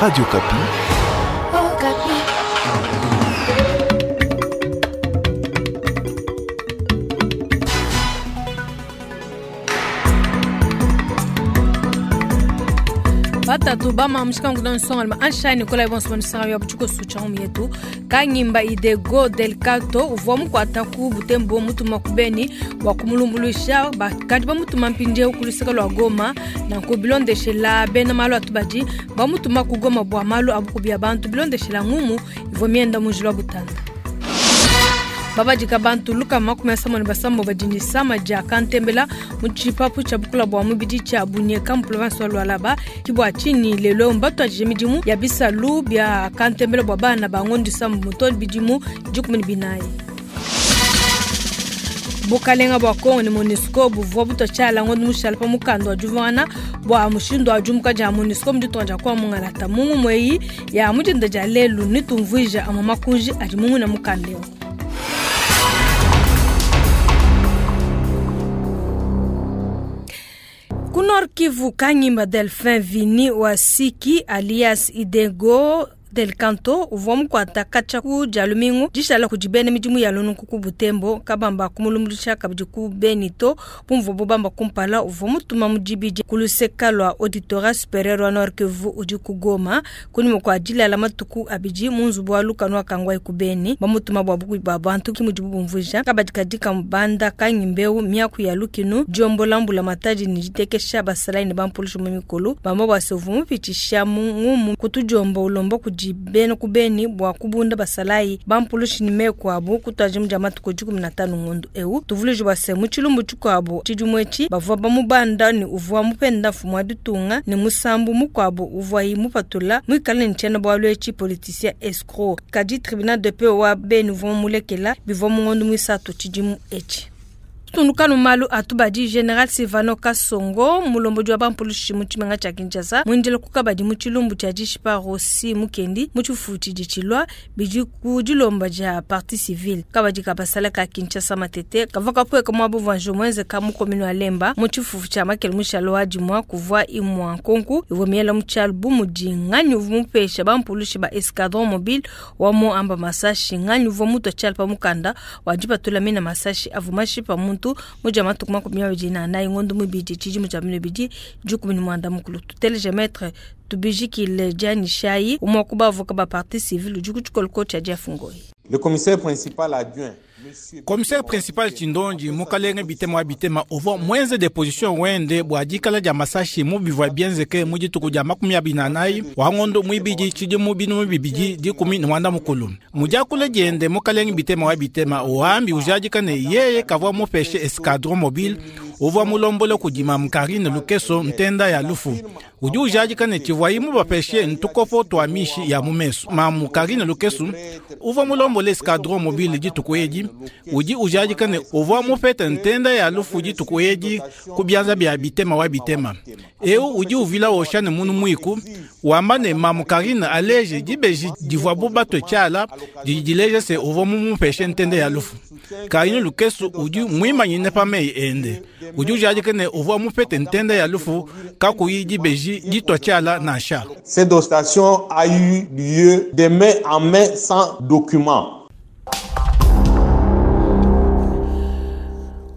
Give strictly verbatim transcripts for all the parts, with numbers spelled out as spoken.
Radio Okapi. Oh, Okapi. Batatu bama mushikangu na nsonga ma ansha Nicolas bonso bonso ya buchuko sucha yetu kanyimba idego del kato uvwa mukwata ku butembo mutuma kubeni wa kumulumbuluisha bakadi bamutuma mpindie kuluseka lwa Goma na kubilondeshela bena malu atubadi bamutuma ku Goma bwa malu abukubya bantu bilondeshela ngumu ivwa mienda mujilwa butanda. Babadika bantu luka makumi asamo ne basambo badindisa maja kantembela mu tshipapu tshia bukula bua mubidi tshia Bunyeka mu province wa Lualaba kibwa chini lelo mbatu ajije midimu ya bisalu bia kantembela bua bana bangondisa muto bidimu dikumi ne binayi. Bukalenga bua Kongo ne MONUSCO buvua butua tshiala ngondo mushala pa mukanda wa divuana bua mushindu wa diumuka dia MONUSCO mu ditunga dia kwa mungalata mungu mweyi ya mudinda dia lelu nitumvuija amwe makunji adi mungu na mukanda eu. Ku Nord Kivu, Kanyimba Delphin Vini wa Siki alias Idego Del Canto uvua mukuata katshia ku dia lumingu dishala kudi bena midimu ya lununku ku Butembo kabamba kumulumbuluisha kabidi ku Benito bumvua bubamba kumpala uvua mutuma mu dibidi ku luseka lua auditorat superieur wa Nord Kivu udi ku Goma kunyima kua dilala matuku abidi mu nzubu wa lukanu wa Kangwai ku Beni bamutuma bua bukubi bua bantu ki mudibu bumvuija kabadi kadi kamubanda kanyimbeu miaku ya lukinu diombola mbula matadi ne ditekesha basalayi ne bampulushi mu mikolo bamba bua se uvua mupitisha mu ngumu kutudiomba ulomba kudi bena kubeni bua kubunda basalayi bampulushi ne meku abu kutwaji mu dia matuku dikumi na tanu ngondo eu tuvuluji bua se mu tshilumbu tshikuabu tshidimu etshi bavua bamubanda ne uvua mupenda mfumu wa ditunga ne musambu mukuabu uvuayi mupatula muikale ne tshiena bualu etshi politicien escroc kadi tribunal de paix wa Beni uvua mulekela bivua mu ngondo muisatu tshidimu etshi. Tunukanu malu atubadi General Silvano Kasongo mulombodi wa bampulushi mu tshimenga tshia Kinshasa muindile kukabadi mu tshilumbu tshia dishipa Rossy Mukendi mu tshifufu tshidi tshilua bidi ku dilomba dia partie civile kabadi kabasala ka Kinshasa Matete kavua kapueka muabu vanjo muenzeka mu commune wa Lemba mu tshifufu tshia Makele mushalo wa dimua kuvua imua nkonku ivua miela mu tshialu bu mudi nganyi uvua mupesha bampulushi ba escadron mobile wa mu amba masashi nganyi uvua mutua tshialu pa mukanda wa dipatula mina masashi avua mashipa muntu muja matuku makumi abidi na anayi ngondo mubidi tshidimu tshia bino bidi dikumi ne muanda mukulu tuteleje maître tubijikile dianyishayi umue ku bavoka ba partie civile udi ku tshikoloko tshia Jeff Ngoi. Le commissaire principal adjoint Commissaire principal Chindonji mukalenge bitema wa bitema uvua mwenze deposition wende bua dikala dia masashi mu bivua bienzeke mu dituku dia makumi abidi na anayi wa ngondo muibidi tshidimu binunu bibidi dikumi ne muanda mukulu. Mu diakula diende mukalenge bitema wa bitema uhambi ujadika ne yeye kavua mupeshe escadron mobile uvua mulombole kudi Mamu Karine Lukeso ntenda ya lufu. Udi ujadika ne tshivuayi mubapeshe ntukopo tua mishi ya mu mesu. Mamu Karine Lukeso uvua mulombole escadron mobile dituku edi udi ujadika ne uvua mupete ntenda ya lufu dituku edi ku bianza bia bitema wa bitema. Eu udi uvila osha ne munu muiku wamba ne Mamu Karine aleje dibeji divua bu batue tshiala didi dileja se uvua mumupeshe ntenda ya lufu. Karine Lukeso udi muimanyine pa meyi ende. Udi ujadika ne uvua mupete ntenda ya lufu kakuyi dibeji ditua tshiala nansha. Cette dotation a eu lieu de main en main sans document.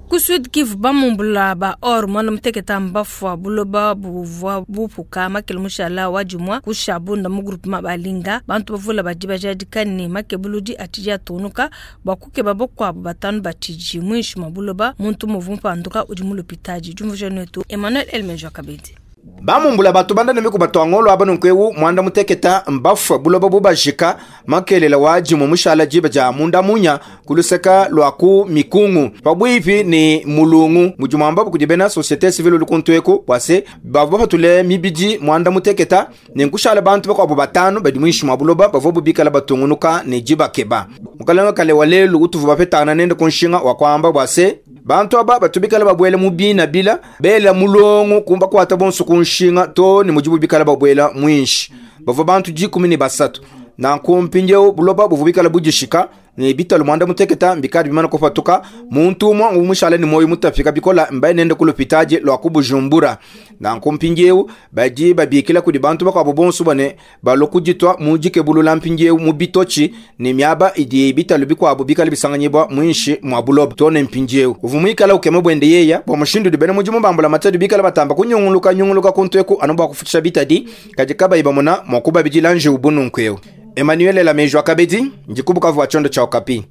Ku Sud Kivu bamumbula ba or mwana muteketa mbafua buloba buvua bupuka makele mushala wa dimua ku Shabunda mu groupement balinga bantu bavula badi bajadika ne makebuludi atidi atunuka bua kukeba bakuabu batanu batidi muinshi mua buloba muntu muvu mpanduka udi mu lupitadi. Diumvuija netu Emmanuel Elmenjo Kabedi. Bamumbula batu banda ne miku batu angolo aba nunku mwanda muteketa mbafua buloba bubajika makelela waji mu mushala jiba ja munda munya kuluseka lwa ku mikungu pabwipi ni mulungu mujumamba kudi bena société civile lukuntweku bwase bavua batule mibidi mwanda muteketa ne nkushala bantu bakwabo batanu badi mwishi mwa buloba bavua bubikala batungunuka ne jibakeba mukalanga kale walelu utuvu bapetana nende kunshinga wakwamba bwase bantu aba batubikala babwele mu bina bila bela mulongo kumba kwata bonso kunshinga to ni mujibu bikala babwela mwinshi bavua bantu dikumi ne basatu na nkumpindieu buloba buvua bikala budishika Ne bitalu mwanda muteketa mbikadi bimana kupatuka muntu umwe umushale ni moyo mutafika bikola mbaye nende kulupitaje lwa kubujumbura. Nanku mpindieu badi babikila kudi bantu bakwabo bonso bane balokujitwa mujike bulula mpindieu mu bitochi ni miaba idi bitalu bikwabo bikali bisanganyibwa mwinshi mwa buloba tone mpindieu uvumwikala ukeme bwende yeya bwa mushindu dibene mujimu bambula matadu bikala batamba kunyunguluka nyunguluka kuntweku anoba kufutisha bitadi kajikaba ibamona mwakuba bijilanje ubununkweo. Emmanuel Lamejwa Kabedi njikubuka vwa chondo cha Okapi.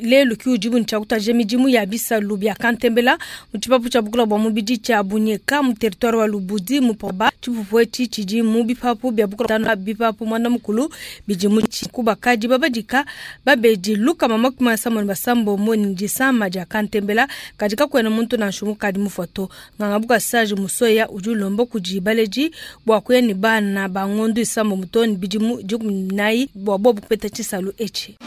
Lelu ki ujibu nchakutaje mijimu ya bisalu bya kantembela muchipapu cha bukula bwa mubidi cha bunyeka mu territoire wa Lubudi mu poba chipupu echi chiji mu bipapu bya bukula tano bipapu mwana mukulu bijimu kubakaji babadika babeji luka mama kuma samon basambo mo njisama ja kantembela katika kwena muntu na nshumu kadi mufoto ngangabuka sage musoya ujulombo kujibaleji bwa kweni bana bangondu isambo mutoni bijimu jukumnai bwa bobu kupeta chisalu echi.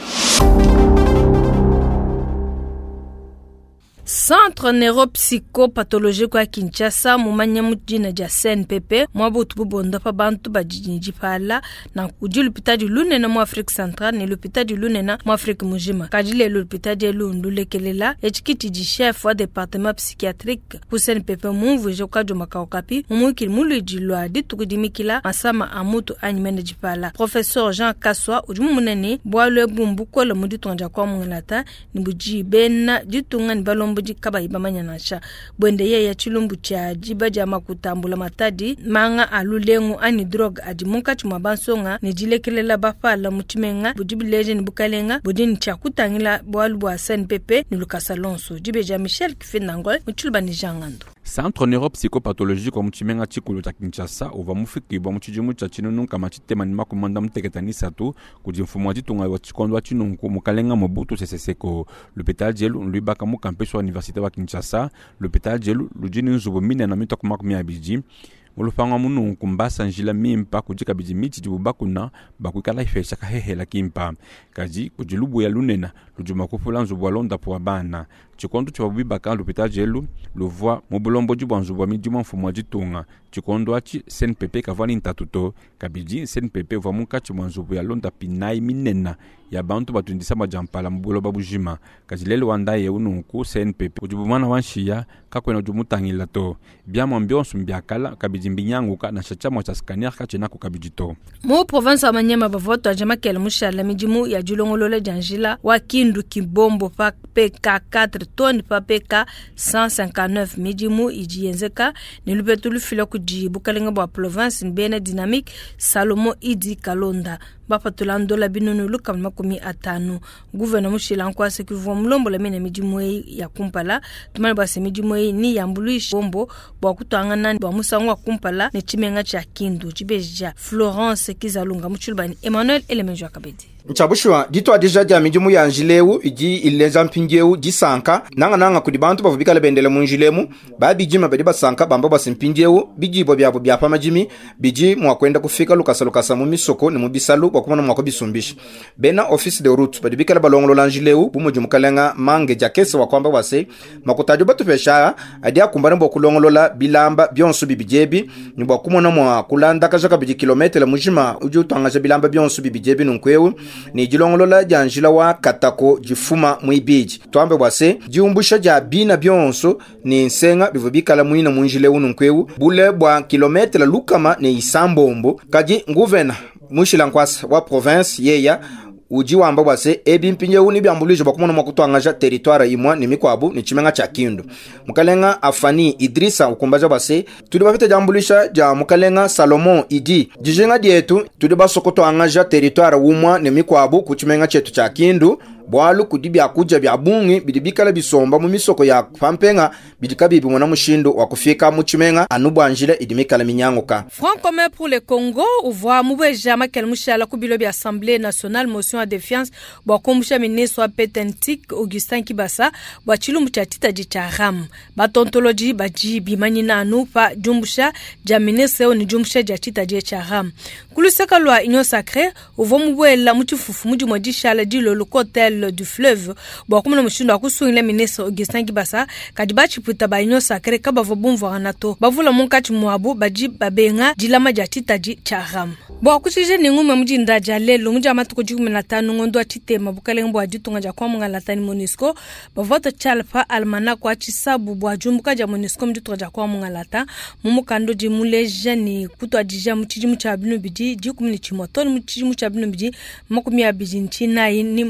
Centre neuropsychopathologique wa Kinshasa mumanya mujina ja C N P P mwabutu bubonda pa bantu bajinji pala na kudi lupitadi lunena mu Afrique Centrale ne lupitadi lunena mu Afrique mujima kadile lupitadi lundulekelela echikiti di chef wa département psychiatrique ku C N P P mumvuje kwa makaokapi mumukili muliji lwa ditukudimikila masama amutu anyimene jipala Professeur Jean Kaswa udi munene bwalwe bumbukola muditonja kwa mungalata ni buji bena ditunga ni balombo kaba ibamanya nasha bwende ye ya chilumbu cha jiba ja makutambula matadi manga alulengu ani drug adi munkatshi mwa bansonga ne dilekelela bafala mutshimenga budi bileje ne bukalenga budi ne tshia kutangila bwalu bwa C N P P ne lukasa lonso dibeja Michel Kifindangol mutshuluba ne Jangando. Centre neuropsychopathologique wa mutshimenga tshikulu tshia Kinshasa uva mufikibwa mu tshidimu tshia tshinunu matshitema ne makumanda muteketa ni satu kudi mfumu wa ditunga wa tshikondo wa tshinunku mukalenga Mobutu Sese Seko. L'hôpital djelu luibaka mu campus wa université wa Kinshasa. L'hôpital djelu ludi ne nzubu minene mitoku makumi abidi mulupanga mununku mbasa njila mimpa kudi kabidi mitshi dibu bakuna bakuikala ifesha kahehela kimpa kaji kudi lubuya lunena ludi makufula nzubu wa londapo wa bana tshikondo tshia bibaka l'hôpital djelu luvua mu bulomboji bwa nzubu wa midimu wa mfumu wa ditunga tshikondo atshi C N P P kavua ni ntatu to kabidi C N P P uvua munkatshi mwa nzubu ya londa pinayi minena ya bantu batundisa majampala mu buloba bujima kaji lelu wandaye ununku C N P P udi bumwana wa nshiya kakwena udi mutangila to biamwa mbionso mbiakala kabidi mbinyanguka na tshiamwa tshia scanner katshina kabidi to mu province wa Manyema bavoto ajamakela mushala midimu ya dilongolola dia njila wa Kindu Kibombo pa P K quatre tonnes pa P K cent cinquante-neuf midimu idi yenzeka ne lupetu lufila kudi bukalenga bwa province mbena dynamique Salomo Idi Kalonda bapatula ndola binunu luka makumi atanu gouverneur mushila nkwase kivwa mulombola mene midimu ya kumpala tumale bwase midimu ni yambuluisha bombo bwa kutangana bwa musango wa kumpala ne tshimenga tshia Kindu tshibeja Florence Kizalunga mutshulubani Emmanuel Elemenjo Akabedi. Nchabushwa ditwa deja dia midimu ya njileu idi ileza mpindieu disanka nanga nanga kudi bantu bavubikala bendele mu njilemu babijima badi basanka bamba basimpindieu bijibwa byabo bya pamajimi biji mwakwenda kufika lukasa lukasa mu misoko ne mu bisalu bwa kumona mwako bisumbisha bena office de route badi bikala balongolola njileu bumuji mukalenga mange jakese wa kwamba wase makutajo batupesha adi akumbana bwa kulongolola bilamba byonso bibijebi ni bwa kumona mwa kulanda kajaka biji kilometre mujima uji utangaja bilamba byonso bibijebi nunkweu ni jilongolola ja njila wa katako jifuma mwibiji twambe bwase jiumbusha ja bina byonso ni nsenga bivubikala mwina munjile ununkweu bule bwa kilometre lukama ni isambombo kaji nguvena mushila nkwasa wa province yeya uji wamba bwase ebi mpinje ni byambulije bakumona mwakutwangaja territoire imwa ni mikwabu ni chimenga cha Kindu mukalenga Afani Idrisa ukumbaja bwase tudi bafite jambulisha ja mukalenga Salomon Idi jijenga dietu tudi basokotwangaja territoire umwa ni mikwabu ku chimenga chetu cha Kindu bwalu kudi byakuja bya bungi bidibikala bisomba mu misoko ya pampenga bidikabibi mwana mushindo wa kufika mu chimenga anubwanjile idimikala minyanguka. Front commun pour le Congo uvwa mubweja makele mushala ku bilo bya Assemblée nationale motion ya défiance bwa kumbusha ministre wa Petentik Augustin Kibasa bwa chilumbu cha titaji cha RAM batontoloji baji bimanyina anu pa jumbusha ja ministre ni jumbusha ja titaji cha RAM kuluseka lwa Union Sacrée uvwa mubwela muchifufu mujimwa dishala dilolo kotel du fleuve bwa kumuna mushindo akusungila ministre Augustin Kibasa kadi bachiputa ba Union Sacrée kabavo bumvwa nato bavula munkatshi mwabu baji babenga dilama dia titaji cha RAM. Bua kushikija ne ngumue mu dinda dia lelu mu dia matuku dikumi na tanu ngondo wa tshitema bukalenge bua ditunga dia kuamungalata ni MONUSCO bavua tshiala pa almanach wa tshisabu bua diumbuka dia MONUSCO mu ditunga dia kuamungalata mu mukanda udi muleja ni kutuadija mu tshidimu tshia binu bidi dikumi ne tshimue to ne mu tshidimu tshia binu bidi makumi abidi ntshinayi ni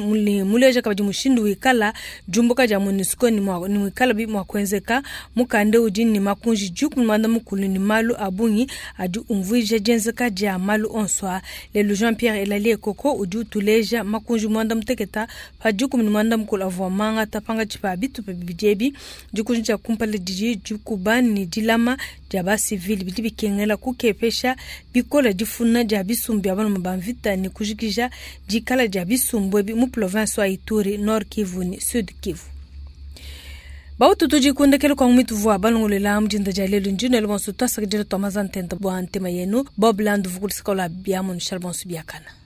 muleja kabidi mushindu wikala diumbuka dia MONUSCO ni muikala bi mua kuenzeka. Mukanda udi ni makunji dikumi muanda mukulu ni malu a bungi adi umvuija dienzeka dia malu onso. Lelu Jean-Pierre Elali Ekoko udi utuleja makunji muanda muteketa pa dikumi ne muanda mukulu avua mangata pangatshi pa bitupa bibidi ebi. Dikunji dia kumpala didi dikuba ne dilama dia basivili bidi bikengela kukepesha bikola difuna dia bisumbu bia balume ba mvita ne kujikija dikala dia bisumbu ebi mu province wa Ituri, Nord Kivu ne Sud Kivu. Bautu tudikundekele kwa mwitu vua balongolela mudinda dia lelu ndino ele bonso twasakidila twamaza ntenta bua ntema yenu Bob Land vukulisikola bia monushal bonso biakana.